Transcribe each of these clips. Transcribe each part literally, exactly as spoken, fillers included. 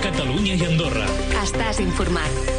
Catalunya i Andorra. Estàs informat.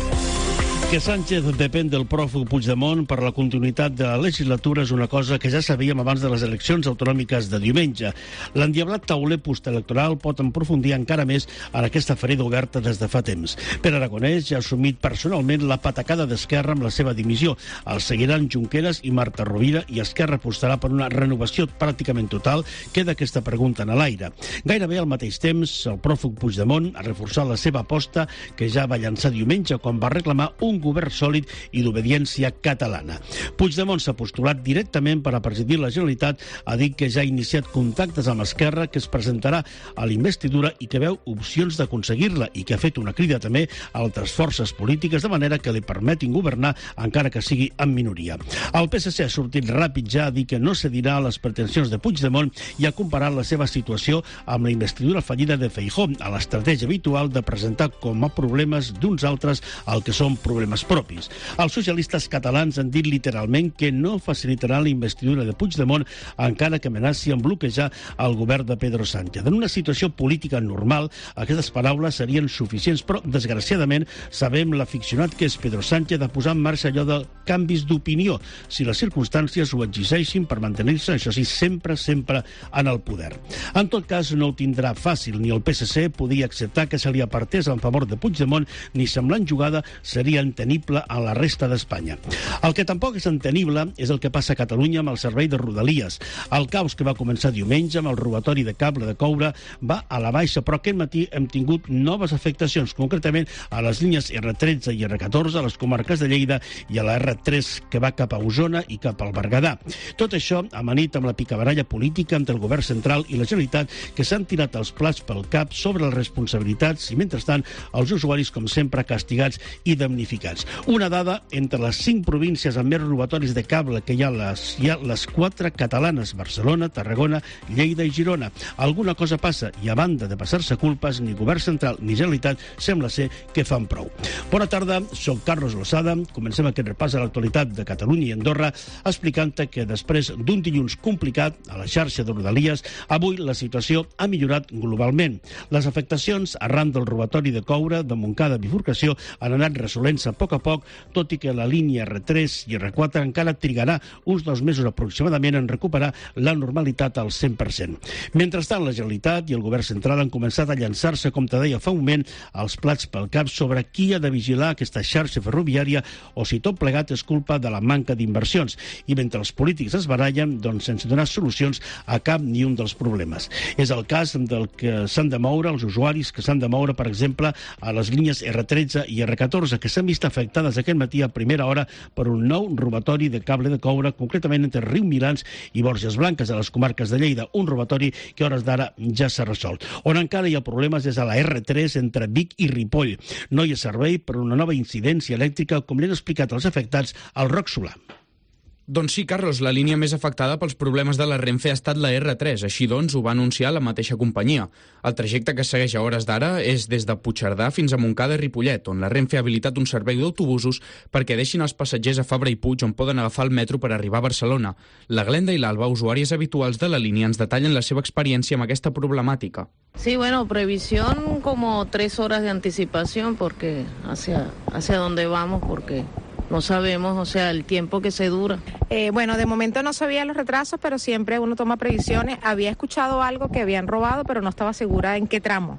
Que Sánchez depèn del pròfug Puigdemont per la continuïtat de la legislatura és una cosa que ja sabíem abans de les eleccions autonòmiques de diumenge. L'endiablat tauler postelectoral pot aprofundir encara més en aquesta ferida oberta des de fa temps. Pere Aragonès ja ha assumit personalment la patacada d'Esquerra amb la seva dimissió. El seguiran Junqueras i Marta Rovira i Esquerra apostarà per una renovació pràcticament total. Queda aquesta pregunta en l'aire. Gairebé al mateix temps, el pròfug Puigdemont ha reforçat la seva aposta que ja va llançar diumenge quan va reclamar un govern sòlid i d'obediència catalana. Puigdemont s'ha postulat directament per a presidir la Generalitat, ha dit que ja ha iniciat contactes amb Esquerra, que es presentarà a la investidura i que veu opcions d'aconseguir-la i que ha fet una crida també a altres forces polítiques de manera que li permetin governar encara que sigui en minoria. El P S C ha sortit ràpid ja a dir que no cedirà a les pretensions de Puigdemont i ha comparat la seva situació amb la investidura fallida de Feijóo, a l'estratègia habitual de presentar com a problemes d'uns altres el que són problemes propis. Els socialistes catalans han dit literalment que no facilitaran la investidura de Puigdemont encara que amenaci en bloquejar el govern de Pedro Sánchez. En una situació política normal, aquestes paraules serien suficients, però desgraciadament sabem l'aficionat que és Pedro Sánchez a posar en marxa allò de canvis d'opinió, si les circumstàncies ho exigeixin per mantenir-se, això sí, sempre, sempre en el poder. En tot cas, no ho tindrà fàcil, ni el P S C podia acceptar que se li apartés en favor de Puigdemont, ni semblant jugada seria entenible a la resta d'Espanya. El que tampoc és entenible és el que passa a Catalunya amb el servei de Rodalies. El caos que va començar diumenge amb el robatori de cable de coure va a la baixa, però aquest matí hem tingut noves afectacions, concretament a les línies erre tretze i erre catorze, a les comarques de Lleida i a la erre tres que va cap a Osona i cap al Berguedà. Tot això amanit amb la picabaralla política entre el govern central i la Generalitat, que s'han tirat els plats pel cap sobre les responsabilitats i, mentrestant, els usuaris, com sempre, castigats i damnificats. Una dada, entre les cinc províncies amb més robatoris de cable que hi ha les, hi ha les quatre catalanes, Barcelona, Tarragona, Lleida i Girona. Alguna cosa passa i, a banda de passar-se culpes, ni govern central ni Generalitat sembla ser que fan prou. Bona tarda, soc Carlos Losada. Comencem aquest repàs a l'actualitat de Catalunya i Andorra explicant que després d'un dilluns complicat a la xarxa de Rodalies, avui la situació ha millorat globalment. Les afectacions arran del robatori de coure de Montcada bifurcació han anat resolent-se a poc a poc, tot i que la línia erre tres i erre quatre encara trigarà uns dos mesos aproximadament en recuperar la normalitat al cent per cent. Mentrestant, la Generalitat i el govern central han començat a llançar-se, com te deia fa un moment, els plats pel cap sobre qui ha de vigilar aquesta xarxa ferroviària o si tot plegat és culpa de la manca d'inversions. I mentre els polítics es barallen, doncs sense donar solucions a cap ni un dels problemes. És el cas del que s'han de moure els usuaris que s'han de moure, per exemple, a les línies erre tretze i erre catorze, que s'han vist afectades aquest matí a primera hora per un nou robatori de cable de coure, concretament entre Riu Milans i Borges Blanques, a les comarques de Lleida, un robatori que a hores d'ara ja s'ha resolt. On encara hi ha problemes és a la erre tres entre Vic i Ripoll. No hi ha servei per una nova incidència elèctrica, com li han explicat els afectats al Roc Solà. Doncs sí, Carlos, la línia més afectada pels problemes de la Renfe ha estat la erre tres. Així doncs, ho va anunciar la mateixa companyia. El trajecte que segueix a hores d'ara és des de Puigcerdà fins a Montcada i Ripollet, on la Renfe ha habilitat un servei d'autobusos perquè deixin els passatgers a Fabra i Puig, on poden agafar el metro per arribar a Barcelona. La Glenda i l'Alba, usuàries habituals de la línia, ens detallen la seva experiència amb aquesta problemàtica. Sí, bueno, previsión como tres horas de anticipación porque hacia, hacia dónde vamos, porque no sabemos, o sea, el tiempo que se dura. Eh, bueno, de momento no sabía los retrasos, pero siempre uno toma previsiones. Había escuchado algo que habían robado, pero no estaba segura en qué tramo.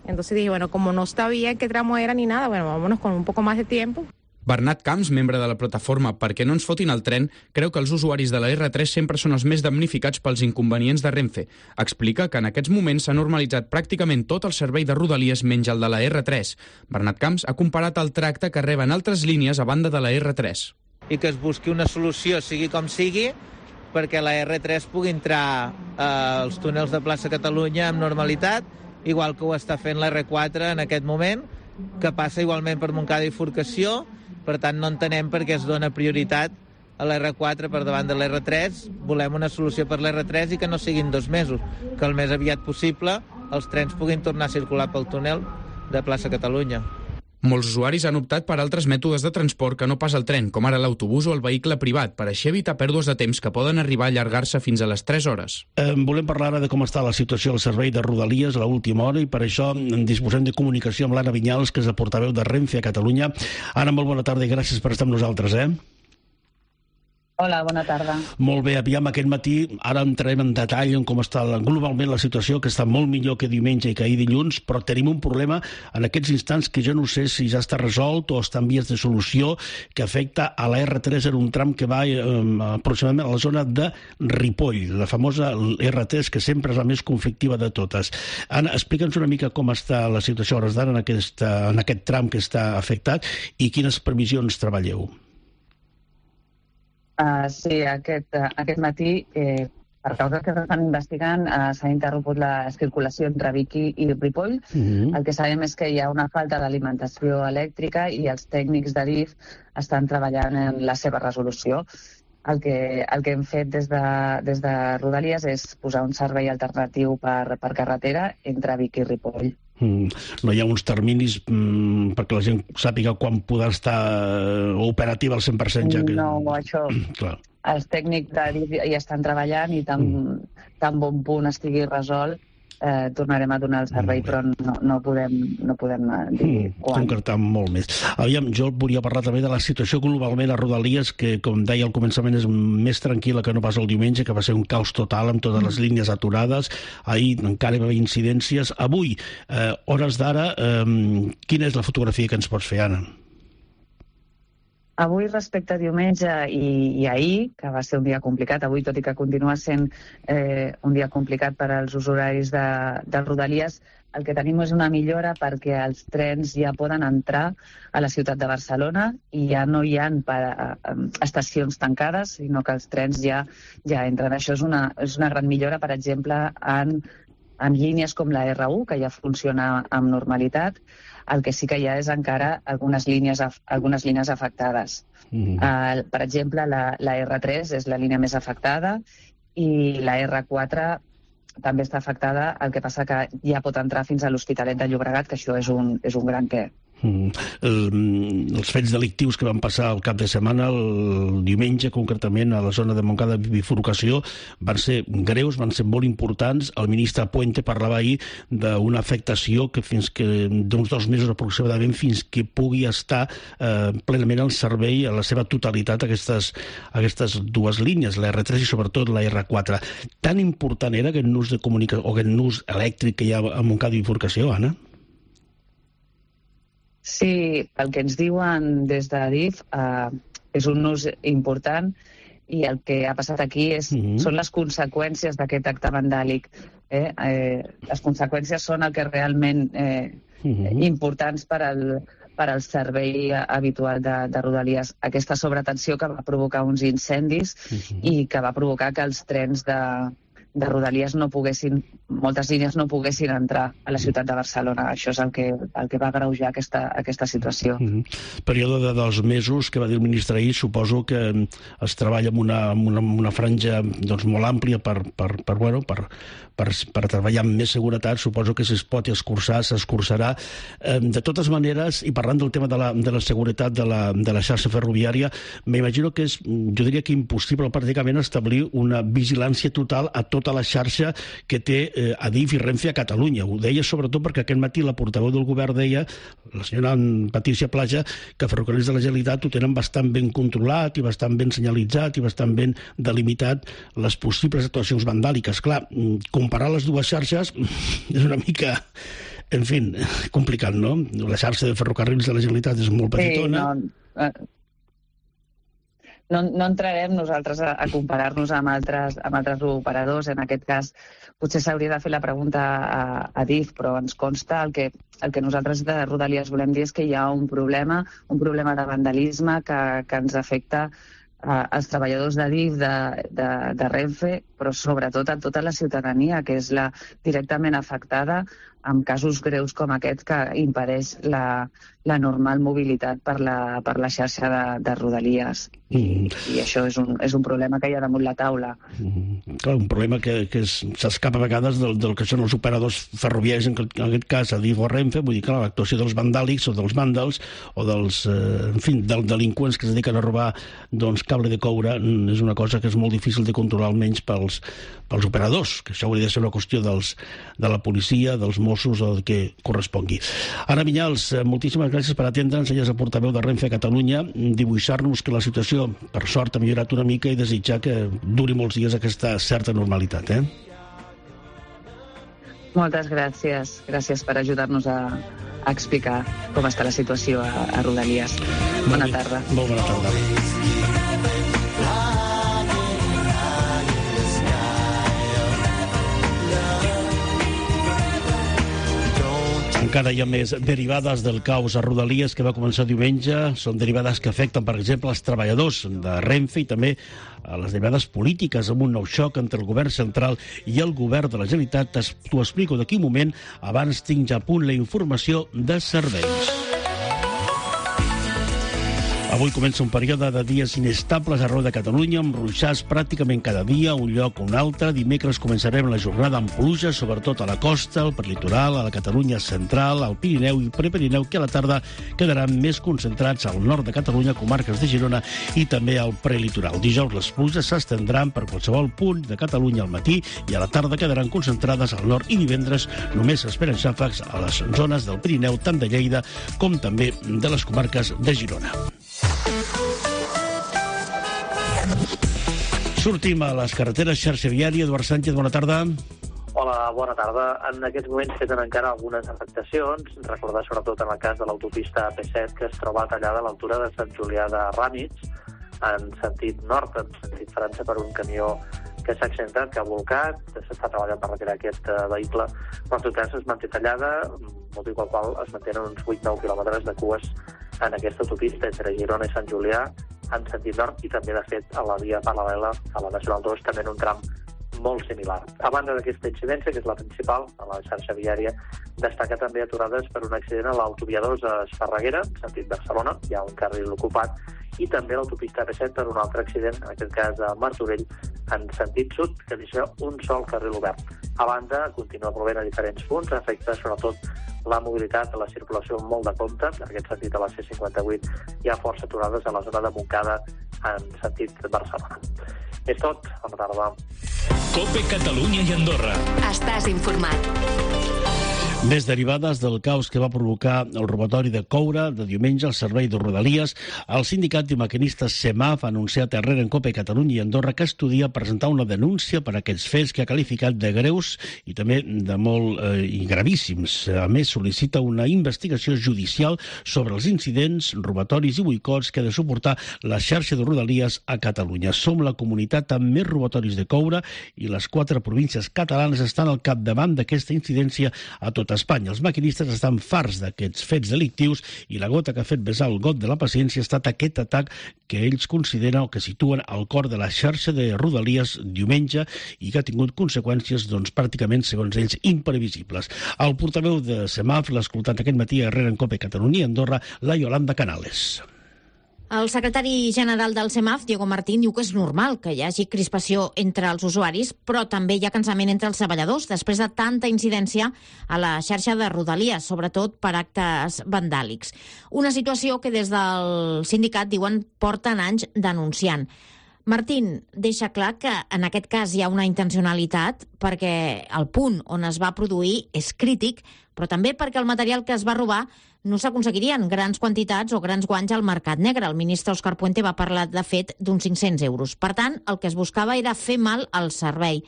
Entonces dije, bueno, como no sabía en qué tramo era ni nada, bueno, vámonos con un poco más de tiempo. Bernat Camps, membre de la plataforma Perquè no ens fotin el tren, creu que els usuaris de la erre tres sempre són els més damnificats pels inconvenients de Renfe. Explica que en aquests moments s'ha normalitzat pràcticament tot el servei de Rodalies menys el de la erre tres. Bernat Camps ha comparat el tracte que reben altres línies a banda de la erre tres. I que es busqui una solució, sigui com sigui, perquè la erre tres pugui entrar eh, als túnels de plaça Catalunya amb normalitat, igual que ho està fent la erre quatre en aquest moment, que passa igualment per Montcada i Bifurcació. Per tant, no entenem per què es dona prioritat a l'erre quatre per davant de l'erre tres. Volem una solució per l'erre tres i que no siguin dos mesos, que el més aviat possible els trens puguin tornar a circular pel túnel de plaça Catalunya. Molts usuaris han optat per altres mètodes de transport que no pas el tren, com ara l'autobús o el vehicle privat, per així evitar pèrdues de temps que poden arribar a allargar-se fins a les tres hores. Eh, volem parlar ara de com està la situació al servei de Rodalies a l'última hora i per això disposem de comunicació amb l'Anna Vinyals, que és la portaveu de Renfe a Catalunya. Anna, molt bona tarda i gràcies per estar amb nosaltres, eh? Hola, bona tarda. Molt bé, aviam, aquest matí ara entrarem en detall en com està globalment la situació, que està molt millor que diumenge i que ahir dilluns, però tenim un problema en aquests instants que jo no sé si ja està resolt o està en vies de solució, que afecta a la erre tres en un tram que va eh, aproximadament a la zona de Ripoll, la famosa erre tres, que sempre és la més conflictiva de totes. Anna, explica'ns una mica com està la situació a hores d'ara en, aquest, en aquest tram que està afectat i quines previsions treballeu. Uh, sí, aquest, uh, aquest matí, eh, per causa que s'estan investigant, uh, s'ha interromput la circulació entre Vic i Ripoll. Mm-hmm. El que sabem és que hi ha una falta d'alimentació elèctrica i els tècnics d'Adif estan treballant en la seva resolució. El que, el que hem fet des de, des de Rodalies és posar un servei alternatiu per, per carretera entre Vic i Ripoll. Mm, no hi ha uns terminis mm, perquè la gent sàpiga quan podrà estar operativa al cent per cent? Ja que... No, això... Clar. Els tècnics d'Adif hi estan treballant i tan, mm. tan bon punt estigui resolt, eh, tornarem a donar el servei, però no, no podem, no podem dir mm, quan. Concretar molt més. Aviam, jo volia parlar també de la situació globalment a Rodalies, que, com deia al començament, és més tranquil·la que no pas el diumenge, que va ser un caos total amb totes les línies aturades. Ahir encara hi va haver incidències. Avui, eh, hores d'ara, eh, quina és la fotografia que ens pots fer, Anna? Avui, respecte a diumenge i, i ahir, que va ser un dia complicat, avui, tot i que continua sent eh, un dia complicat per als usuaris de, de Rodalies, el que tenim és una millora perquè els trens ja poden entrar a la ciutat de Barcelona i ja no hi ha per, eh, estacions tancades, sinó que els trens ja, ja entren. Això és una, és una gran millora, per exemple, en, en línies com la erre u, que ja funciona amb normalitat. El que sí que hi ha és encara algunes línies, algunes línies afectades. Mm. Uh, per exemple, la, la erre tres és la línia més afectada i la erre quatre també està afectada, el que passa que ja pot entrar fins a l'Hospitalet de Llobregat, que això és un, és un gran què. Mm. El, els fets delictius que van passar el cap de setmana, el diumenge concretament a la zona de Montcada de bifurcació, van ser greus, van ser molt importants. El ministre Puente parlava ahir d'una afectació que fins que d'uns dos mesos aproximadament fins que pugui estar eh, plenament al servei a la seva totalitat aquestes, aquestes dues línies, la erre tres i sobretot la erre quatre. Tan important era aquest nus de comunicació o aquest nus elèctric que hi ha a Montcada de bifurcació, Anna? Sí, el que ens diuen des d'Adif eh, és un ús important i el que ha passat aquí és, mm-hmm. són les conseqüències d'aquest acte vandàlic. Eh? Eh, les conseqüències són el que realment eh, mm-hmm. importants per al, per al servei habitual de, de Rodalies. Aquesta sobretensió que va provocar uns incendis mm-hmm. i que va provocar que els trens de... de Rodalies no poguessin, moltes línies no poguessin entrar a la ciutat de Barcelona. Això és el que, el que va agreujar aquesta, aquesta situació. Mm-hmm. Període de dos mesos que va dir el ministre ahir, suposo que es treballa amb una, amb una, una franja doncs, molt àmplia per, per, per, bueno, per, per, per treballar amb més seguretat. Suposo que si es pot escurçar, s'escurçarà. De totes maneres, i parlant del tema de la, de la seguretat de la, de la xarxa ferroviària, m'imagino que és, jo diria que impossible pràcticament establir una vigilància total a tot tota la xarxa que té eh, Adif i Renfe a Catalunya. Ho deia sobretot perquè aquest matí la portaveu del govern deia, la senyora Patricia Plaja, que Ferrocarrils de la Generalitat ho tenen bastant ben controlat i bastant ben senyalitzat i bastant ben delimitat les possibles actuacions vandàliques. Clar, comparar les dues xarxes és una mica... En fi, complicat, no? La xarxa de Ferrocarrils de la Generalitat és molt petitona. Sí, no... No, no entrarem nosaltres a, a comparar-nos amb altres, amb altres operadors. En aquest cas, potser s'hauria de fer la pregunta a, a Adif, però ens consta el que, el que nosaltres de Rodalies volem dir és que hi ha un problema, un problema de vandalisme que, que ens afecta a, als treballadors d'Adif, de, de, de Renfe, però sobretot a tota la ciutadania, que és la directament afectada amb casos greus com aquest que impedeix la, la normal mobilitat per la, per la xarxa de, de Rodalies. Mm. I això és un, és un problema que hi ha damunt la taula. Mm. Clar, un problema que, que s'escapa a vegades del, del que són els operadors ferroviaris, en, en aquest cas a Adif o Renfe, vull dir que l'actuació dels vandàlics o dels vàndals o dels, eh, en fi, dels delinqüents que es dediquen a robar doncs, cable de coure és una cosa que és molt difícil de controlar, almenys pels, pels operadors, que això hauria de ser una qüestió dels, de la policia, dels Mossos o del que correspongui. Anna Vinyals, moltíssimes gràcies per atendre'ns. Ella és el portaveu de Renfe a Catalunya, dibuixar-nos que la situació, per sort, ha millorat una mica i desitjar que duri molts dies aquesta certa normalitat. Eh? Moltes gràcies. Gràcies per ajudar-nos a, a explicar com està la situació a, a Rodalies. Bona tarda. Molt bona tarda. Encara hi ha més derivades del caos a Rodalies que va començar diumenge. Són derivades que afecten, per exemple, els treballadors de Renfe i també a les derivades polítiques amb un nou xoc entre el govern central i el govern de la Generalitat. T'ho explico d'aquí un moment. Abans tinc ja a punt la informació de serveis. Avui comença un període de dies inestables arreu de Catalunya, amb ruixats pràcticament cada dia, un lloc o un altre. Dimecres començarem la jornada amb pluja, sobretot a la costa, al prelitoral, a la Catalunya central, al Pirineu i Prepirineu, que a la tarda quedaran més concentrats al nord de Catalunya, comarques de Girona i també al prelitoral. Dijous les pluges s'estendran per qualsevol punt de Catalunya al matí i a la tarda quedaran concentrades al nord, i divendres només s'esperen xàfecs a les zones del Pirineu, tant de Lleida com també de les comarques de Girona. Sortim a les carreteres, xarxa viària. Eduard Sánchez, bona tarda. Hola, bona tarda. En aquests moments tenen encara algunes afectacions. Recordar sobretot en el cas de l'autopista A P set, que es troba tallada a l'altura de Sant Julià de Ramis, en sentit nord, en sentit França, per un camió que s'ha accidentat, que ha volcat. S'està treballant per retirar aquest uh, vehicle, però en tot cas es manté tallada, motiu pel qual es mantenen uns vuit nou quilòmetres de cues en aquesta autopista entre Girona i Sant Julià, en sentit nord, i també, de fet, a la via paral·lela a la Nacional dos, també en un tram molt similar. A banda d'aquesta incidència, que és la principal a la xarxa viària, destaca també aturades per un accident a l'autovia dos a Esparreguera, en sentit Barcelona, hi ha un carril ocupat, i també l'autopista A P set per un altre accident, en aquest cas a Martorell, en sentit sud, que deixa un sol carril obert. A banda, continua plovent a diferents punts, afecta sobretot la mobilitat, la circulació molt de compte. En aquest sentit, a la C cinquanta-vuit hi ha força aturades a la zona de Montcada en sentit Barcelona. És tot. Bona tarda. COPE Catalunya i Andorra. Estàs informat. Més derivades del caos que va provocar el robatori de coure de diumenge al servei de Rodalies. El sindicat de maquinistes SEMAF ha anunciat a R en COPE Catalunya i Andorra que estudia presentar una denúncia per aquests fets que ha qualificat de greus i també de molt eh, i gravíssims. A més, sol·licita una investigació judicial sobre els incidents, robatoris i boicots que ha de suportar la xarxa de Rodalies a Catalunya. Som la comunitat amb més robatoris de coure i les quatre províncies catalanes estan al capdavant d'aquesta incidència a tot Espanya. Els maquinistes estan farts d'aquests fets delictius i la gota que ha fet vessar el got de la paciència ha estat aquest atac que ells consideren o que situen al cor de la xarxa de Rodalies diumenge i que ha tingut conseqüències doncs, pràcticament, segons ells, imprevisibles. El portaveu de SEMAF l'ha escoltat aquest matí a R en COPE Catalunya i Andorra, la Yolanda Canales. El secretari general del SEMAF, Diego Martín, diu que és normal que hi hagi crispació entre els usuaris, però també hi ha cansament entre els treballadors després de tanta incidència a la xarxa de Rodalies, sobretot per actes vandàlics. Una situació que des del sindicat diuen porten anys denunciant. Martín deixa clar que en aquest cas hi ha una intencionalitat perquè el punt on es va produir és crític, però també perquè el material que es va robar no s'aconseguirien grans quantitats o grans guanys al mercat negre. El ministre Òscar Puente va parlar, de fet, d'uns cinc-cents euros. Per tant, el que es buscava era fer mal al servei.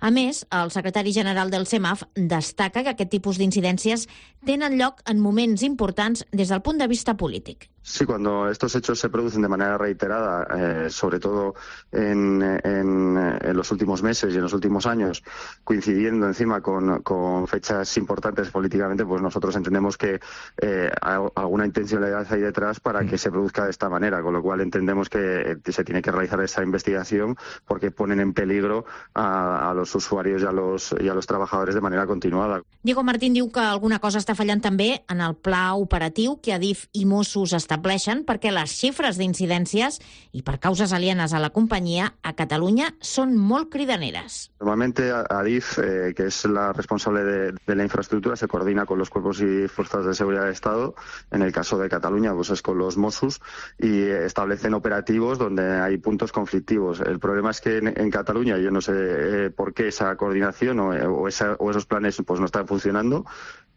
A més, el secretari general del SEMAF destaca que aquest tipus d'incidències tenen lloc en moments importants des del punt de vista polític. Sí, cuando estos hechos se producen de manera reiterada, eh, sobre todo en, en, en los últimos meses y en los últimos años, coincidiendo encima con, con fechas importantes políticamente, pues nosotros entendemos que eh, alguna intencionalidad hay detrás para que se produzca de esta manera, con lo cual entendemos que se tiene que realizar esa investigación porque ponen en peligro a, a los usuarios y a los, y a los trabajadores de manera continuada. Diego Martín diu que alguna cosa està fallant també en el pla operatiu que Adif i Mossos estableixen perquè les xifres d'incidències i per causes alienes a la companyia a Catalunya són molt cridaneres. Normalmente Adif, eh, que es la responsable de, de la infraestructura, se coordina con los cuerpos y fuerzas de seguridad del Estado. En el caso de Cataluña, pues es con los Mossos y establecen operativos donde hay puntos conflictivos. El problema es que en, en Cataluña, yo no sé eh, por qué esa coordinación o, o, esa, o esos planes pues no están funcionando.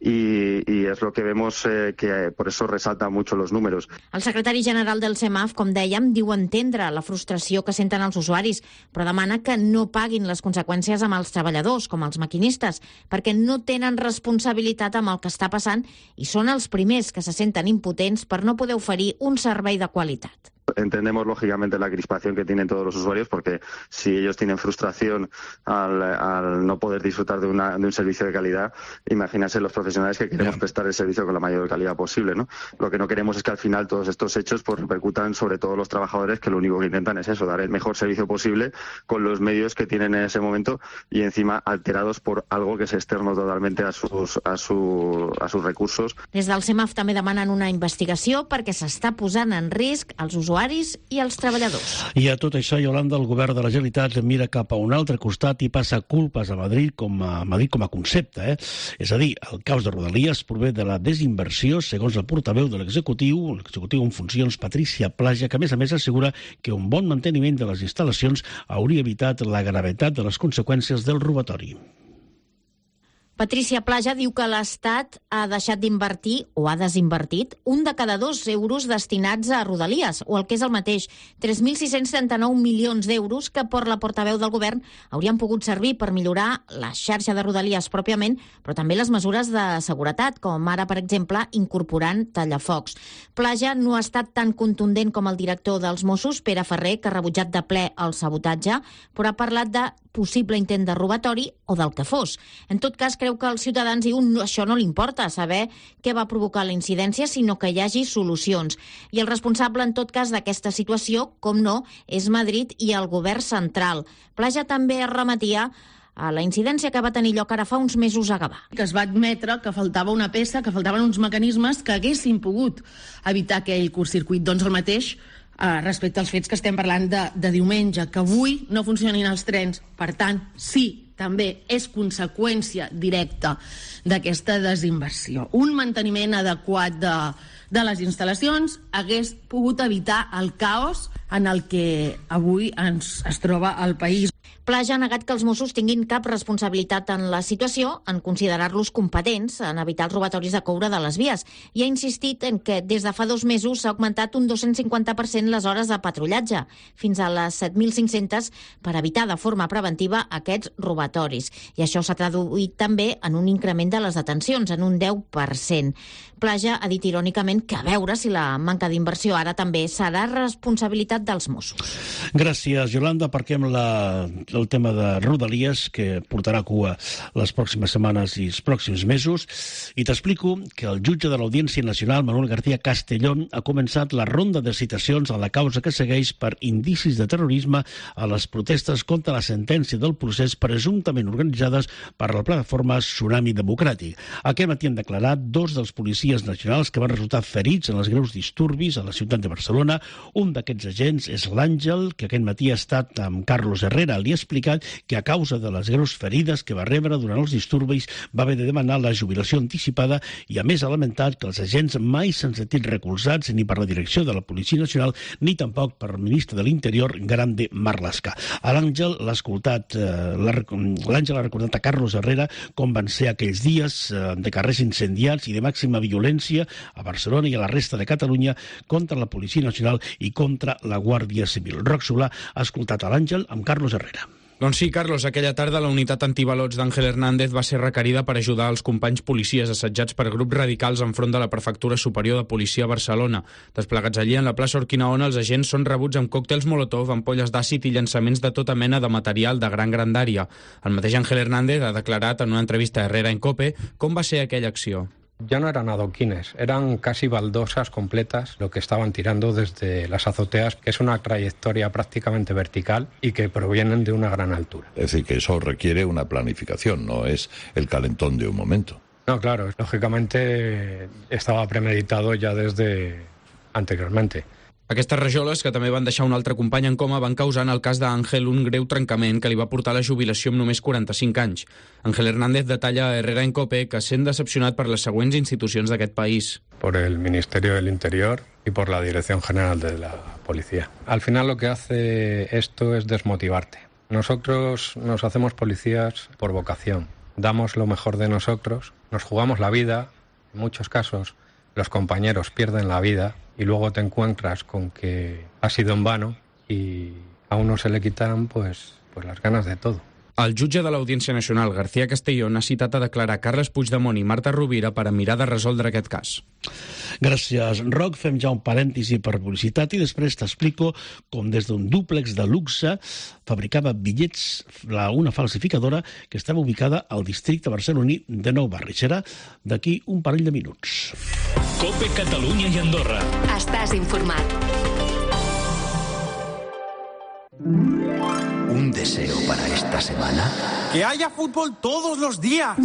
Y, y és lo que vemos eh, que por eso resalta mucho los números. El secretari general del CEMAF, com dèiem, diu entendre la frustració que senten els usuaris, però demana que no paguin les conseqüències amb els treballadors, com els maquinistes, perquè no tenen responsabilitat amb el que està passant i són els primers que se senten impotents per no poder oferir un servei de qualitat. Entendemos lógicamente la crispación que tienen todos los usuarios porque si ellos tienen frustración al, al no poder disfrutar de, una, de un servicio de calidad, imagínense los profesionales que queremos prestar el servicio con la mayor calidad posible, ¿no? Lo que no queremos es que al final todos estos hechos pues repercutan sobre todos los trabajadores que lo único que intentan es eso, dar el mejor servicio posible con los medios que tienen en ese momento y encima alterados por algo que es externo totalmente a sus, a su, a sus recursos. Des del CEMAF també demanen una investigació perquè s'està posant en risc els usuaris i els treballadors. I a tot això, Yolanda, el govern de la Generalitat mira cap a un altre costat i passa culpes a Madrid com a, Madrid com a concepte. Eh? És a dir, el caos de Rodalies prové de la desinversió, segons el portaveu de l'executiu, l'executiu en funcions, Patricia Plaja, que a més a més assegura que un bon manteniment de les instal·lacions hauria evitat la gravetat de les conseqüències del robatori. Patricia Plaja diu que l'Estat ha deixat d'invertir, o ha desinvertit, un de cada dos euros destinats a Rodalies, o el que és el mateix, tres mil sis-cents trenta-nou milions d'euros que, per la portaveu del govern, haurien pogut servir per millorar la xarxa de Rodalies pròpiament, però també les mesures de seguretat, com ara, per exemple, incorporant tallafocs. Plaja no ha estat tan contundent com el director dels Mossos, Pere Ferrer, que ha rebutjat de ple el sabotatge, però ha parlat de possible intent de robatori o del que fos. En tot cas, creu que als ciutadans diu no, això no li importa saber què va provocar la incidència, sinó que hi hagi solucions. I el responsable, en tot cas, d'aquesta situació, com no, és Madrid i el govern central. Plaja també es remetia a la incidència que va tenir lloc ara fa uns mesos a Gavà. Que es va admetre que faltava una peça, que faltaven uns mecanismes que haguessin pogut evitar aquell curtcircuit. Doncs el mateix eh, respecte als fets que estem parlant de, de diumenge, que avui no funcionin els trens. Per tant, sí, també és conseqüència directa d'aquesta desinversió. Un manteniment adequat de, de les instal·lacions hagués pogut evitar el caos en el que avui ens, es troba el país. Plaja ha negat que els Mossos tinguin cap responsabilitat en la situació, en considerar-los competents en evitar els robatoris de coure de les vies, i ha insistit en que des de fa dos mesos s'ha augmentat un dos-cents cinquanta per cent les hores de patrullatge, fins a les set mil cinc-centes, per evitar de forma preventiva aquests robatoris. I això s'ha traduït també en un increment de les detencions, en un deu per cent. Plaja ha dit irònicament que a veure si la manca d'inversió ara també serà responsabilitat dels Mossos. Gràcies, Yolanda. Aparquem la, el tema de Rodalies, que portarà cua les pròximes setmanes i els pròxims mesos, i t'explico que el jutge de l'Audiència Nacional, Manuel García Castellón, ha començat la ronda de citacions a la causa que segueix per indicis de terrorisme a les protestes contra la sentència del procés presumptament organitzades per la plataforma Tsunami Democràtic. Aquest matí han declarat dos dels policies nacionals que van resultar ferits en els greus disturbis a la ciutat de Barcelona. Un d'aquests agents és l'Àngel, que aquest matí ha estat amb Carlos Herrera. Li ha explicat que a causa de les greus ferides que va rebre durant els disturbis va haver de demanar la jubilació anticipada i, a més, ha lamentat que els agents mai s'han sentit recolzats ni per la direcció de la Policia Nacional ni tampoc per el ministre de l'Interior, Grande Marlaska. A l'Àngel l'ha escoltat, eh, l'Àngel ha recordat a Carlos Herrera com van ser aquells dies eh, de carrers incendiats i de màxima violència a Barcelona i a la resta de Catalunya contra la Policia Nacional i contra la Guàrdia Civil. Roc Solà ha escoltat a l'Àngel amb Carlos Herrera. Doncs sí, Carlos, aquella tarda la unitat antibalots d'Àngel Hernández va ser requerida per ajudar els companys policies assetjats per grups radicals enfront de la Prefectura Superior de Policia a Barcelona. Desplegats allí en la plaça Urquinaona, els agents són rebuts amb còctels Molotov, ampolles d'àcid i llançaments de tota mena de material de gran grandària. El mateix Àngel Hernández ha declarat en una entrevista a Herrera en COPE com va ser aquella acció. Ya no eran adoquines, eran casi baldosas completas lo que estaban tirando desde las azoteas, que es una trayectoria prácticamente vertical y que provienen de una gran altura. Es decir, que eso requiere una planificación, no es el calentón de un momento. No, claro, lógicamente estaba premeditado ya desde anteriormente. Aquestes rajoles, que també van deixar un altre company en coma, van causar en el cas d'Àngel un greu trencament que li va portar a la jubilació amb només quaranta-cinc anys. Ángel Hernández detalla a Herrera en COPE que sent decepcionat per les següents institucions d'aquest país. Por el Ministerio del Interior y por la Dirección General de la Policía. Al final lo que hace esto es desmotivarte. Nosotros nos hacemos policías por vocación. Damos lo mejor de nosotros, nos jugamos la vida, en muchos casos los compañeros pierden la vida y luego te encuentras con que ha sido en vano y a uno se le quitan pues, pues las ganas de todo. El jutge de l'Audiència Nacional, García Castellón, ha citat a declarar Carles Puigdemont i Marta Rovira per a mirar de resoldre aquest cas. Gràcies, Roc. Fem ja un parèntesi per publicitat i després t'explico com des d'un dúplex de luxe fabricava bitllets una falsificadora que estava ubicada al districte barceloní de Nou Barris. Serà d'aquí un parell de minuts. COPE Catalunya i Andorra. Estàs informat. ¿Un deseo para esta semana? ¡Que haya fútbol todos los días!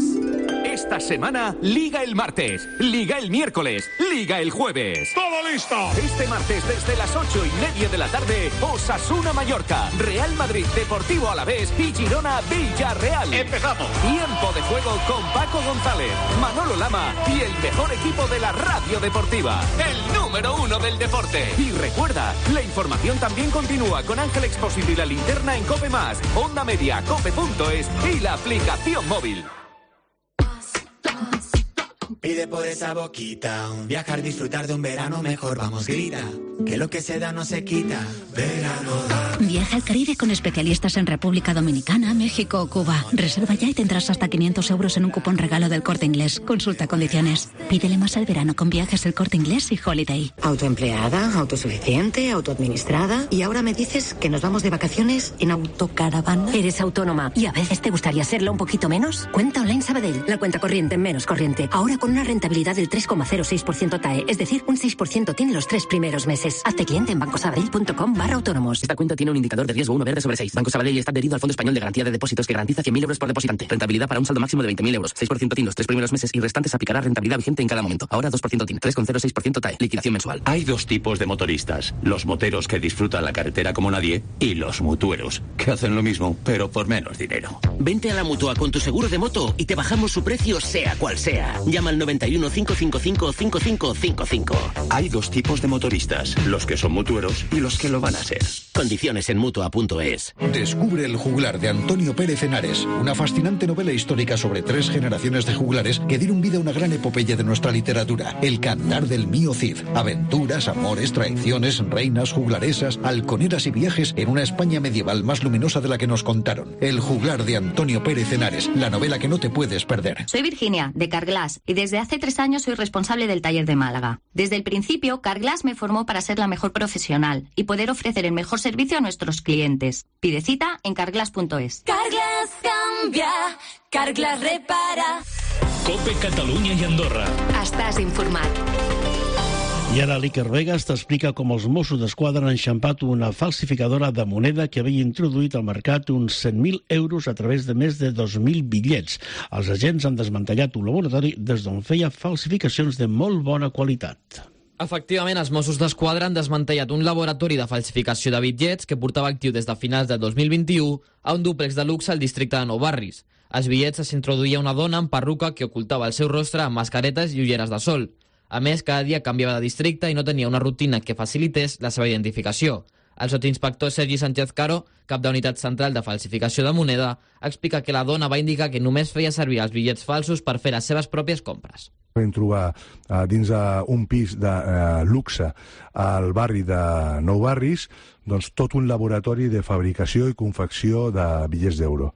Esta semana, Liga el martes, Liga el miércoles, Liga el jueves. ¡Todo listo! Este martes desde las ocho y media de la tarde, Osasuna Mallorca, Real Madrid Deportivo Alavés y Girona Villarreal. ¡Empezamos! Tiempo de juego con Paco González, Manolo Lama y el mejor equipo de la radio deportiva, el número uno del deporte. Y recuerda, la información también continúa con Ángel Expósito y la linterna en COPE Más, Onda Media, cope punto es y la aplicación móvil. Pide por esa boquita, un viajar, disfrutar de un verano mejor, vamos, grita, que lo que se da no se quita, verano da. Viaja al Caribe con especialistas en República Dominicana, México o Cuba. Reserva ya y tendrás hasta quinientos euros en un cupón regalo del Corte Inglés. Consulta condiciones. Pídele más al verano con Viajes El Corte Inglés y Holiday. Autoempleada, autosuficiente, autoadministrada. Y ahora me dices que nos vamos de vacaciones en autocaravana. Eres autónoma y a veces te gustaría serlo un poquito menos. Cuenta Online Sabadell, la cuenta corriente menos corriente. Ahora con una rentabilidad del tres coma cero seis por ciento T A E, es decir, un seis por ciento tiene los tres primeros meses. Hazte cliente en bancosabadell.com barra autónomos. Esta cuenta tiene un indicador de riesgo uno verde sobre seis. Banco Sabadell está adherido al Fondo Español de Garantía de Depósitos que garantiza cien mil euros por depositante. Rentabilidad para un saldo máximo de veinte mil euros. seis por ciento T I N los tres primeros meses y restantes aplicará rentabilidad vigente en cada momento. Ahora dos por ciento T I N, tres coma cero seis por ciento T A E. Liquidación mensual. Hay dos tipos de motoristas. Los moteros que disfrutan la carretera como nadie y los mutueros, que hacen lo mismo, pero por menos dinero. Vente a la Mutua con tu seguro de moto y te bajamos su precio sea cual sea. Llama al noventa y uno, cinco cinco cinco, cinco cinco cinco cinco. Hay dos tipos de motoristas, los que son mutueros y los que lo van a ser. Condiciones en mutua punto es. Descubre El juglar de Antonio Pérez Henares, una fascinante novela histórica sobre tres generaciones de juglares que dieron vida a una gran epopeya de nuestra literatura, El cantar del mío Cid. Aventuras, amores, traiciones, reinas, juglaresas, halconeras y viajes en una España medieval más luminosa de la que nos contaron. El juglar de Antonio Pérez Henares, la novela que no te puedes perder. Soy Virginia, de Carglass, y desde hace tres años soy responsable del taller de Málaga. Desde el principio, Carglass me formó para ser la mejor profesional y poder ofrecer el mejor servicio a nuestros clientes. Pide cita en carglass punto es. Carglass cambia, Carglass repara. COPE Catalunya i Andorra. Estàs informat. I ara l'Iker Vegas t'explica com els Mossos d'Esquadra han enxampat una falsificadora de moneda que havia introduït al mercat uns cent mil euros a través de més de dos mil bitllets. Els agents han desmantellat un laboratori des d'on feia falsificacions de molt bona qualitat. Efectivament, els Mossos d'Esquadra han desmantellat un laboratori de falsificació de bitllets que portava actiu des de finals del dos mil vint-i-u a un dúplex de luxe al districte de Nou Barris. Als bitllets s'introduïa una dona amb perruca que ocultava el seu rostre amb mascaretes i ulleres de sol. A més, cada dia canviava de districte i no tenia una rutina que facilités la seva identificació. El sotsinspector Sergi Sánchez Caro, cap de unitat central de falsificació de moneda, explica que la dona va indicar que només feia servir els bitllets falsos per fer les seves pròpies compres. vam trobar eh, dins d'un pis de eh, luxe al barri de Nou Barris, doncs tot un laboratori de fabricació i confecció de bitllets d'euro.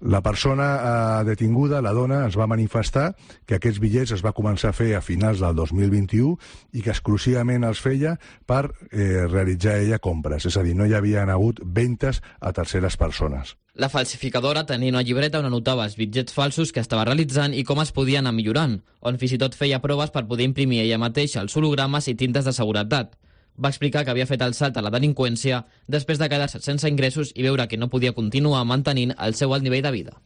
La persona eh, detinguda, la dona, ens va manifestar que aquests bitllets es va començar a fer a finals del dos mil vint-i-u i que exclusivament els feia per eh, realitzar ella compres, és a dir, no hi havien hagut ventes a terceres persones. La falsificadora tenia una llibreta on anotava els bitllets falsos que estava realitzant i com es podien anar millorant, on fins i tot feia proves per poder imprimir ella mateixa els hologrames i tintes de seguretat. Va explicar que havia fet el salt a la delinqüència després de quedar-se sense ingressos i veure que no podia continuar mantenint el seu alt nivell de vida.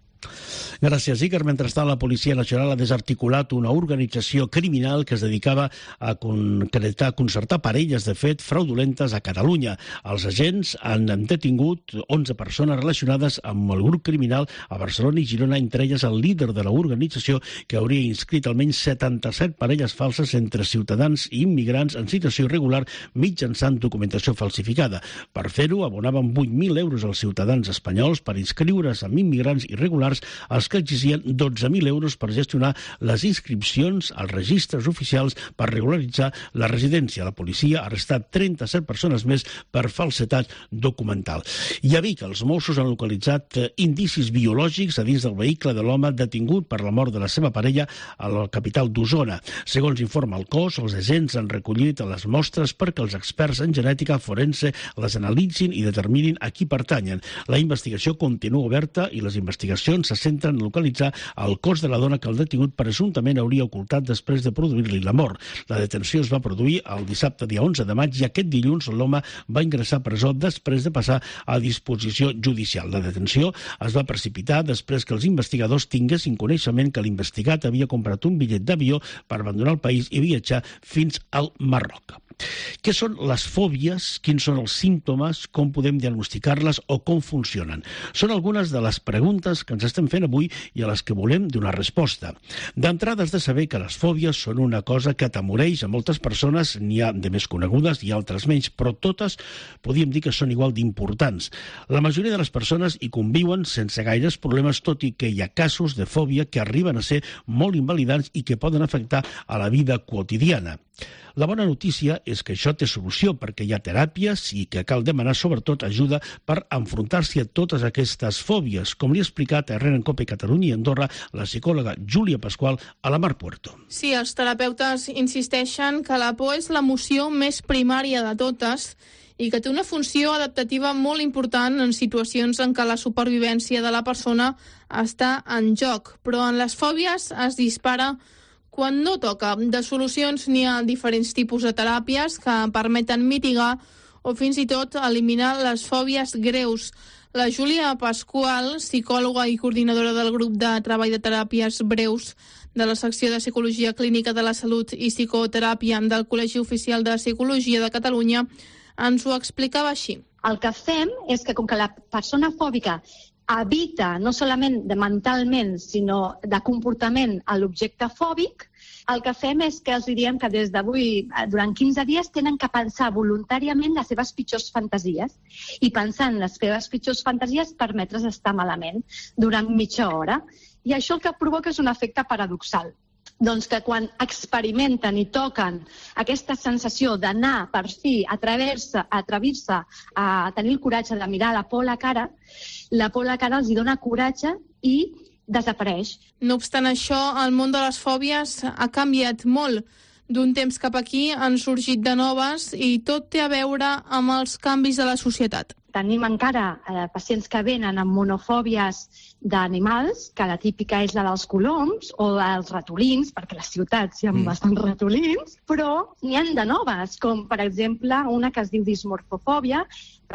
Gràcies, Iker. Mentrestant, la Policia Nacional ha desarticulat una organització criminal que es dedicava a concretar, concertar parelles de fet fraudulentes a Catalunya. Els agents han detingut onze persones relacionades amb el grup criminal a Barcelona i Girona, entre elles el líder de l'organització, que hauria inscrit almenys setanta-set parelles falses entre ciutadans i immigrants en situació irregular mitjançant documentació falsificada. Per fer-ho, abonaven vuit mil euros als ciutadans espanyols per inscriure's amb immigrants irregulars, els que exigien dotze mil euros per gestionar les inscripcions als registres oficials per regularitzar la residència. La policia ha arrestat trenta-set persones més per falsetat documental. I a Vic, els Mossos han localitzat indicis biològics a dins del vehicle de l'home detingut per la mort de la seva parella a la capital d'Osona. Segons informa el cos, els agents han recollit les mostres perquè els experts en genètica forense les analitzin i determinin a qui pertanyen. La investigació continua oberta i les investigacions se centren en localitzar el cos de la dona que el detingut presumptament hauria ocultat després de produir-li la mort. La detenció es va produir el dissabte dia onze de maig i aquest dilluns l'home va ingressar a presó després de passar a disposició judicial. La detenció es va precipitar després que els investigadors tinguessin coneixement que l'investigat havia comprat un bitllet d'avió per abandonar el país i viatjar fins al Marroc. Què són les fòbies? Quins són els símptomes? Com podem diagnosticar-les o com funcionen? Són algunes de les preguntes que ens estem fent avui i a les que volem donar resposta. D'entrada has de saber que les fòbies són una cosa que atemoreix a moltes persones, n'hi ha de més conegudes i altres menys, però totes podríem dir que són igual d'importants. La majoria de les persones hi conviuen sense gaires problemes, tot i que hi ha casos de fòbia que arriben a ser molt invalidants i que poden afectar a la vida quotidiana. La bona notícia és que això té solució perquè hi ha teràpies i que cal demanar sobretot ajuda per enfrontar-s'hi a totes aquestes fòbies, com li ha explicat a R N Cope Catalunya i Andorra la psicòloga Júlia Pasqual a la Mar Puerto. Sí, els terapeutes insisteixen que la por és l'emoció més primària de totes i que té una funció adaptativa molt important en situacions en què la supervivència de la persona està en joc, però en les fòbies es dispara quan no toca. De solucions n'hi ha diferents tipus de teràpies que permeten mitigar o fins i tot eliminar les fòbies greus. La Júlia Pasqual, psicòloga i coordinadora del grup de treball de teràpies breus de la secció de Psicologia Clínica de la Salut i Psicoteràpia del Col·legi Oficial de Psicologia de Catalunya, ens ho explicava així. El que fem és que com que la persona fòbica evita no solament de mentalment, sinó de comportament a l'objecte fòbic, el que fem és que els diem que des d'avui, durant quinze dies, tenen que pensar voluntàriament les seves pitjors fantasies i pensant les seves pitjors fantasies permetre's estar malament durant mitja hora. I això el que provoca és un efecte paradoxal. Doncs que quan experimenten i toquen aquesta sensació d'anar per fi, atrevir-se, atrevir-se a tenir el coratge de mirar la por a la cara, la por a la cara els dona coratge i desapareix. No obstant això, el món de les fòbies ha canviat molt. D'un temps cap aquí han sorgit de noves i tot té a veure amb els canvis de la societat. Tenim encara eh, pacients que venen amb monofòbies d'animals, que la típica és la dels coloms o dels ratolins, perquè a les ciutats hi ha mm. bastants ratolins, però n'hi ha de noves, com per exemple una que es diu dismorfofòbia,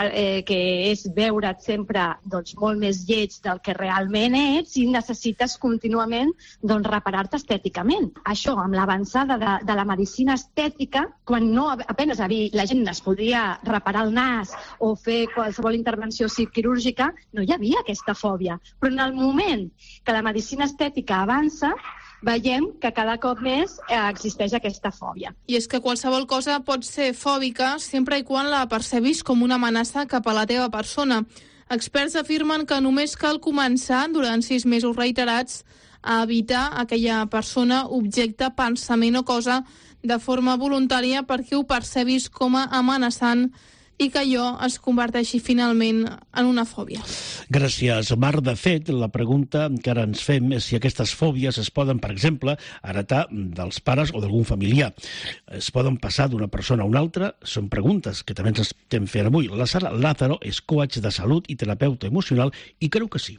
eh, que és veure't sempre doncs, molt més lleig del que realment ets i necessites contínuament doncs, reparar-te estèticament. Això, amb l'avançada de, de la medicina estètica, quan no apenas la gent es podia reparar el nas o fer qualsevol intervenció quirúrgica, no hi havia aquesta fòbia. Però en el moment que la medicina estètica avança, veiem que cada cop més existeix aquesta fòbia. I és que qualsevol cosa pot ser fòbica sempre i quan la percebis com una amenaça cap a la teva persona. Experts afirmen que només cal començar, durant sis mesos reiterats, a evitar aquella persona, objecte, pensament o cosa de forma voluntària perquè ho percebis com a amenaçant i que allò es converteixi finalment en una fòbia. Gràcies, Mar. De fet, la pregunta que ara ens fem és si aquestes fòbies es poden, per exemple, heretar dels pares o d'algun familiar. Es poden passar d'una persona a una altra? Són preguntes que també ens estem fent avui. La Sara Lázaro és coach de salut i terapeuta emocional i creu que sí.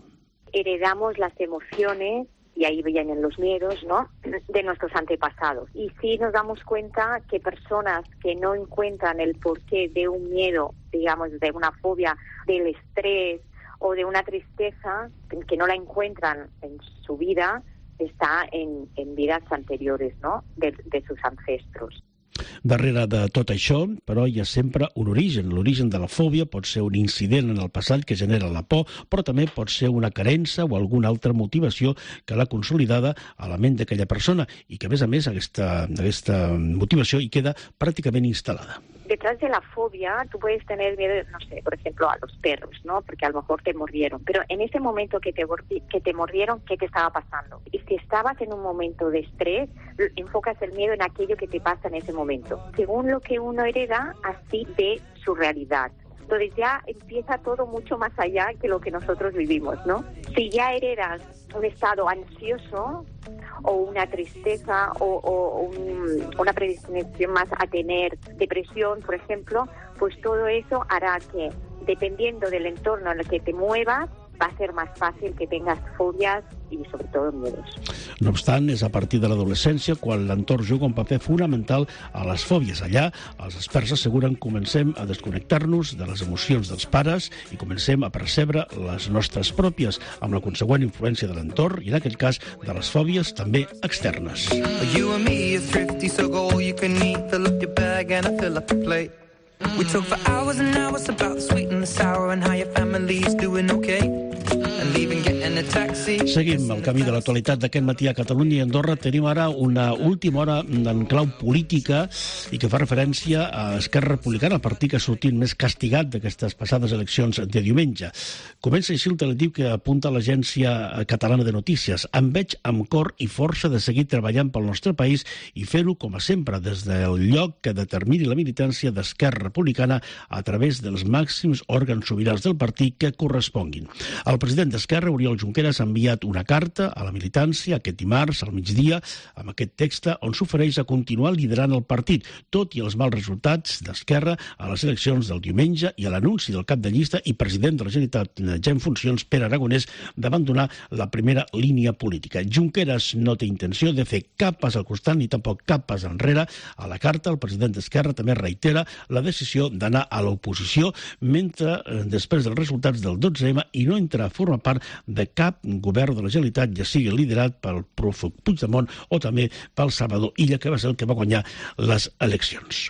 Heredamos las emociones, y ahí vienen los miedos, ¿no?, de nuestros antepasados. Y sí nos damos cuenta que personas que no encuentran el porqué de un miedo, digamos, de una fobia, del estrés o de una tristeza, que no la encuentran en su vida, está en, en vidas anteriores, ¿no?, de, de sus ancestros. Darrere de tot això, però, hi ha sempre un origen. L'origen de la fòbia pot ser un incident en el passat que genera la por, però també pot ser una carença o alguna altra motivació que l'ha consolidada a la ment d'aquella persona i que, a més a més, aquesta, aquesta motivació hi queda pràcticament instal·lada. Detrás de la fobia tú puedes tener miedo, no sé, por ejemplo, a los perros, ¿no? Porque a lo mejor te mordieron. Pero en ese momento que te, que te mordieron, ¿qué te estaba pasando? Y si estabas en un momento de estrés, enfocas el miedo en aquello que te pasa en ese momento. Según lo que uno hereda, así ve su realidad. Entonces ya empieza todo mucho más allá que lo que nosotros vivimos, ¿no? Si ya heredas un estado ansioso o una tristeza o, o un, una predisposición más a tener depresión, por ejemplo, pues todo eso hará que, dependiendo del entorno en el que te muevas, va a ser más fácil que tengas fobias i, sobretot, miedos. No obstant, és a partir de l'adolescència quan l'entorn juga un paper fonamental a les fòbies. Allà, els experts asseguren comencem a desconnectar-nos de les emocions dels pares i comencem a percebre les nostres pròpies, amb la consegüent influència de l'entorn i, en aquell cas, de les fòbies també externes. You and me are thrifty, so go all you can eat. Fill up your bag and I fill up the plate. We talk for hours and hours about the sweet and the sour and how your family's doing okay. Seguim el camí de l'actualitat d'aquest matí a Catalunya i Andorra. Tenim ara una última hora en clau política i que fa referència a Esquerra Republicana, el partit que ha sortit més castigat d'aquestes passades eleccions de diumenge. Comença així el telediu que apunta a l'Agència Catalana de Notícies. Em veig amb cor i força de seguir treballant pel nostre país i fer-ho, com a sempre, des del lloc que determini la militància d'Esquerra Republicana a través dels màxims òrgans sobirans del partit que corresponguin. El president d'Esquerra, Oriol Junqueras, ha enviat una carta a la militància aquest dimarts al migdia amb aquest text on s'ofereix a continuar liderant el partit, tot i els mals resultats d'Esquerra a les eleccions del diumenge i a l'anunci del cap de llista i president de la Generalitat ja en funcions, Pere Aragonès, d'abandonar la primera línia política. Junqueras no té intenció de fer cap pas al costat ni tampoc cap pas enrere. A la carta, el president d'Esquerra també reitera la decisió d'anar a l'oposició mentre, després dels resultats del dotze eme, i no entra a formar part de cap govern de la Generalitat, ja sigui liderat pel prófug Puigdemont o també pel Salvador Illa, que va ser el que va guanyar les eleccions.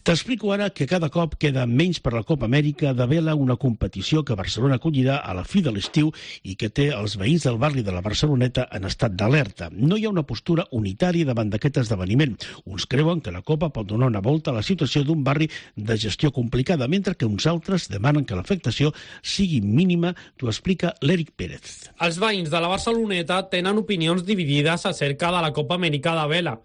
T'explico ara que cada cop queda menys per la Copa Amèrica de vela, una competició que Barcelona acollirà a la fi de l'estiu i que té els veïns del barri de la Barceloneta en estat d'alerta. No hi ha una postura unitària davant d'aquest esdeveniment. Uns creuen que la Copa pot donar una volta a la situació d'un barri de gestió complicada, mentre que uns altres demanen que l'afectació sigui mínima. T'ho explica l'Eric Pérez. Els veïns de la Barceloneta tenen opinions dividides acerca de la Copa Amèrica de vela.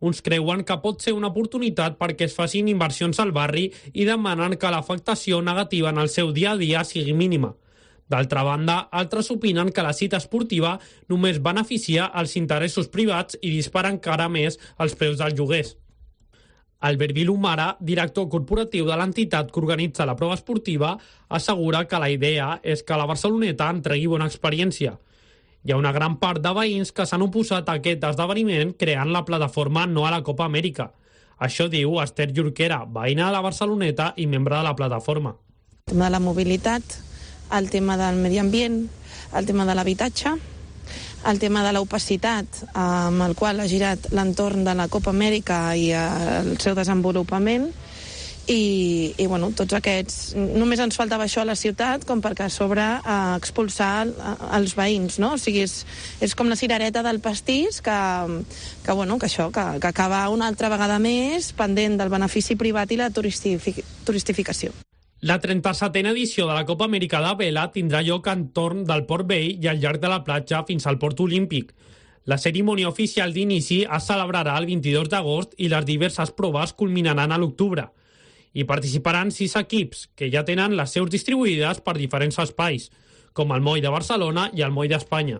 Uns creuen que pot ser una oportunitat perquè es facin inversions al barri i demanen que l'afectació negativa en el seu dia a dia sigui mínima. D'altra banda, altres opinen que la cita esportiva només beneficia els interessos privats i dispara encara més els preus dels lloguers. Albert Vilumara, director corporatiu de l'entitat que organitza la prova esportiva, assegura que la idea és que la Barceloneta entregui bona experiència. Hi ha una gran part de veïns que s'han oposat a aquest esdeveniment creant la plataforma No a la Copa Amèrica. Això diu Esther Jorquera, veïna de la Barceloneta i membre de la plataforma. El tema de la mobilitat, el tema del medi ambient, el tema de l'habitatge, el tema de l'opacitat amb el qual ha girat l'entorn de la Copa Amèrica i el seu desenvolupament. I, i bueno, tots aquests... Només ens faltava això a la ciutat com perquè a sobre eh, expulsar els veïns, no? O sigui, és, és com la cirereta del pastís que, que, bueno, que això, que, que acaba una altra vegada més pendent del benefici privat i la turistific, turistificació. La trenta-setena edició de la Copa Amèrica de Vela tindrà lloc entorn del Port Vell i al llarg de la platja fins al Port Olímpic. La cerimònia oficial d'inici es celebrarà el vint-i-dos d'agost i les diverses proves culminaran a l'octubre. Hi participaran sis equips, que ja tenen les seus distribuïdes per diferents espais, com el Moll de Barcelona i el Moll d'Espanya.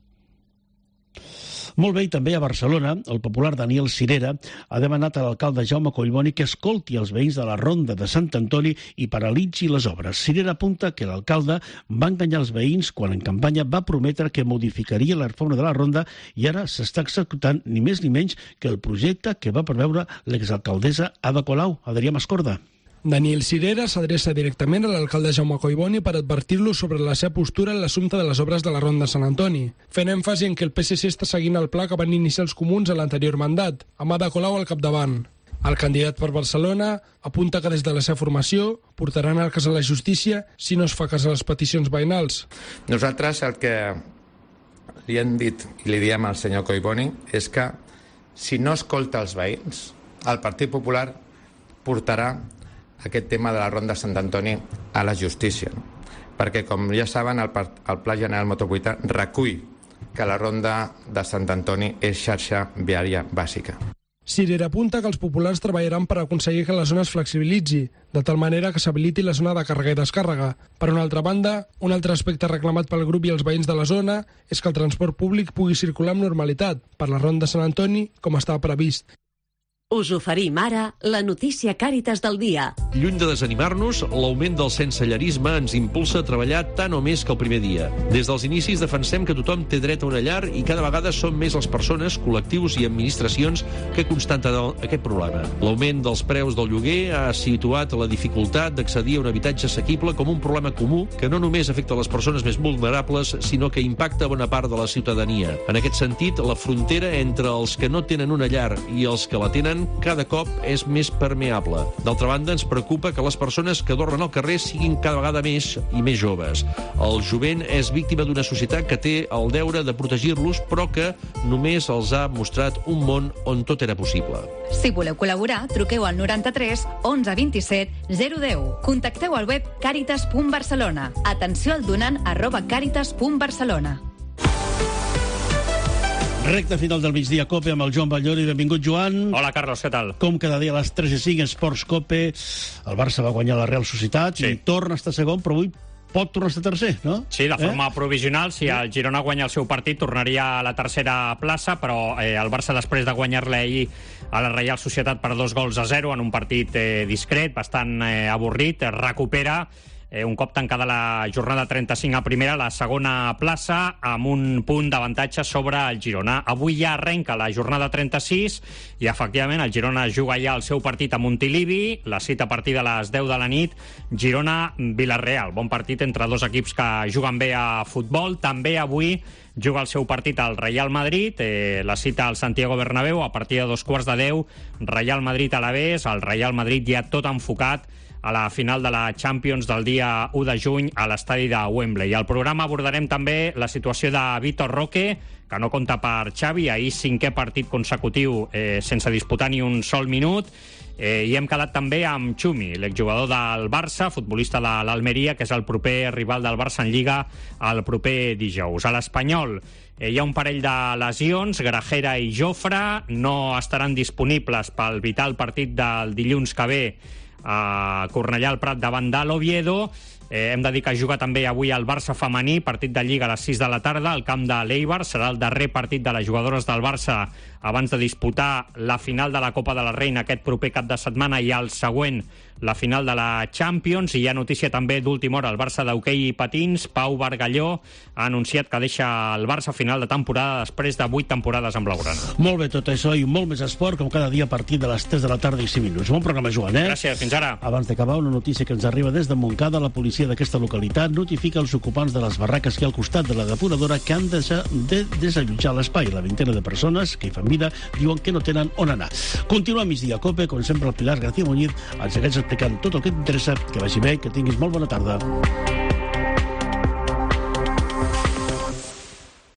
Molt bé, i també a Barcelona, el popular Daniel Cirera ha demanat a l'alcalde Jaume Collboni que escolti els veïns de la Ronda de Sant Antoni i paralitzi les obres. Cirera apunta que l'alcalde va enganyar els veïns quan en campanya va prometre que modificaria la reforma de la Ronda i ara s'està executant ni més ni menys que el projecte que va preveure l'exalcaldessa Ada Colau. Adrià Mascorda. Daniel Cirera s'adreça directament a l'alcalde Jaume Collboni per advertir-lo sobre la seva postura en l'assumpte de les obres de la Ronda de Sant Antoni, fent èmfasi en que el P S C està seguint el pla que van iniciar els comuns a l'anterior mandat, amb Ada Colau al capdavant. El candidat per Barcelona apunta que des de la seva formació portaran el cas a la justícia si no es fa cas a les peticions veïnals. Nosaltres el que li hem dit i li diem al senyor Collboni és que si no escolta els veïns, el Partit Popular portarà aquest tema de la Ronda de Sant Antoni a la justícia. No? Perquè, com ja saben, el, el Pla General Metropolità recull que la Ronda de Sant Antoni és xarxa viària bàsica. Cirera apunta que els populars treballaran per aconseguir que la zona es flexibilitzi, de tal manera que s'habiliti la zona de càrrega i descàrrega. Per una altra banda, un altre aspecte reclamat pel grup i els veïns de la zona és que el transport públic pugui circular amb normalitat per la Ronda de Sant Antoni com estava previst. Us oferim ara la notícia Càritas del dia. Lluny de desanimar-nos, l'augment del sensellarisme ens impulsa a treballar tant o més que el primer dia. Des dels inicis defensem que tothom té dret a una llar i cada vegada són més les persones, col·lectius i administracions que constaten aquest problema. L'augment dels preus del lloguer ha situat la dificultat d'accedir a un habitatge assequible com un problema comú que no només afecta les persones més vulnerables, sinó que impacta bona part de la ciutadania. En aquest sentit, la frontera entre els que no tenen una llar i els que la tenen cada cop és més permeable. D'altra banda, ens preocupa que les persones que dormen al carrer siguin cada vegada més i més joves. El jovent és víctima d'una societat que té el deure de protegir-los, però que només els ha mostrat un món on tot era possible. Si voleu col·laborar, truqueu al noranta-tres onze vint-i-set zero deu. Contacteu al web càritas punt barcelona. Atenció al donant arroba càritas punt barcelona. Recte final del migdia Cope amb el Joan Ballori. Benvingut, Joan. Hola, Carlos, què tal? Com cada dia a les tres i cinc, Esports Cope. El Barça va guanyar la Real Societat sí. i torna a estar segon, però avui pot tornar a estar tercer, no? Sí, de forma eh? provisional. Si el Girona guanya el seu partit, tornaria a la tercera plaça, però eh, el Barça, després de guanyar-le ahir a la Real Societat per dos gols a zero, en un partit eh, discret, bastant eh, avorrit, recupera Eh, un cop tancada la jornada trenta-cinc a primera, la segona plaça, amb un punt d'avantatge sobre el Girona. Avui ja arrenca la jornada trenta-sis i, efectivament, el Girona juga ja el seu partit a Montilivi, la cita a partir de les deu de la nit, Girona-Villarreal. Bon partit entre dos equips que juguen bé a futbol. També avui juga el seu partit al Real Madrid, eh, la cita al Santiago Bernabéu a partir de dos quarts de deu, Real Madrid-Alavés, el Real Madrid ja tot enfocat a la final de la Champions del dia u de juny a l'estadi de Wembley. Al programa abordarem també la situació de Vitor Roque, que no compta per Xavi, ahir cinquè partit consecutiu eh, sense disputar ni un sol minut. Eh, I hem quedat també amb Xumi, l'exjugador del Barça, futbolista de l'Almeria, que és el proper rival del Barça en Lliga el proper dijous. A l'Espanyol eh, hi ha un parell de lesions, Grajera i Jofre, no estaran disponibles pel vital partit del dilluns que ve a Cornellà al Prat davant de l'Oviedo. Eh, hem de dir que juga també avui el Barça femení, partit de Lliga a les sis de la tarda, al camp de l'Eibar. Serà el darrer partit de les jugadores del Barça abans de disputar la final de la Copa de la Reina aquest proper cap de setmana i el següent la final de la Champions. I hi ha notícia també d'última hora. El Barça d'hoquei i patins, Pau Bargalló, ha anunciat que deixa el Barça a final de temporada després de vuit temporades amb blaugrana. Molt bé, tot això i molt més esport, com cada dia a partir de les tres de la tarda i cinc minuts. Bon programa, Joan, eh? Gràcies, fins ara. Abans d'acabar, una notícia que ens arriba des de Montcada. La policia d'aquesta localitat notifica els ocupants de les barraques que hi ha al costat de la depuradora que han de, de desallotjar l'espai. La vintena de persones que hi fan vida diuen que no tenen on anar. Continua migdia Cope, com sempre el Pilar García Muñiz ens segueix explicant tot el que t'interessa. Que vagi bé, que tinguis molt bona tarda.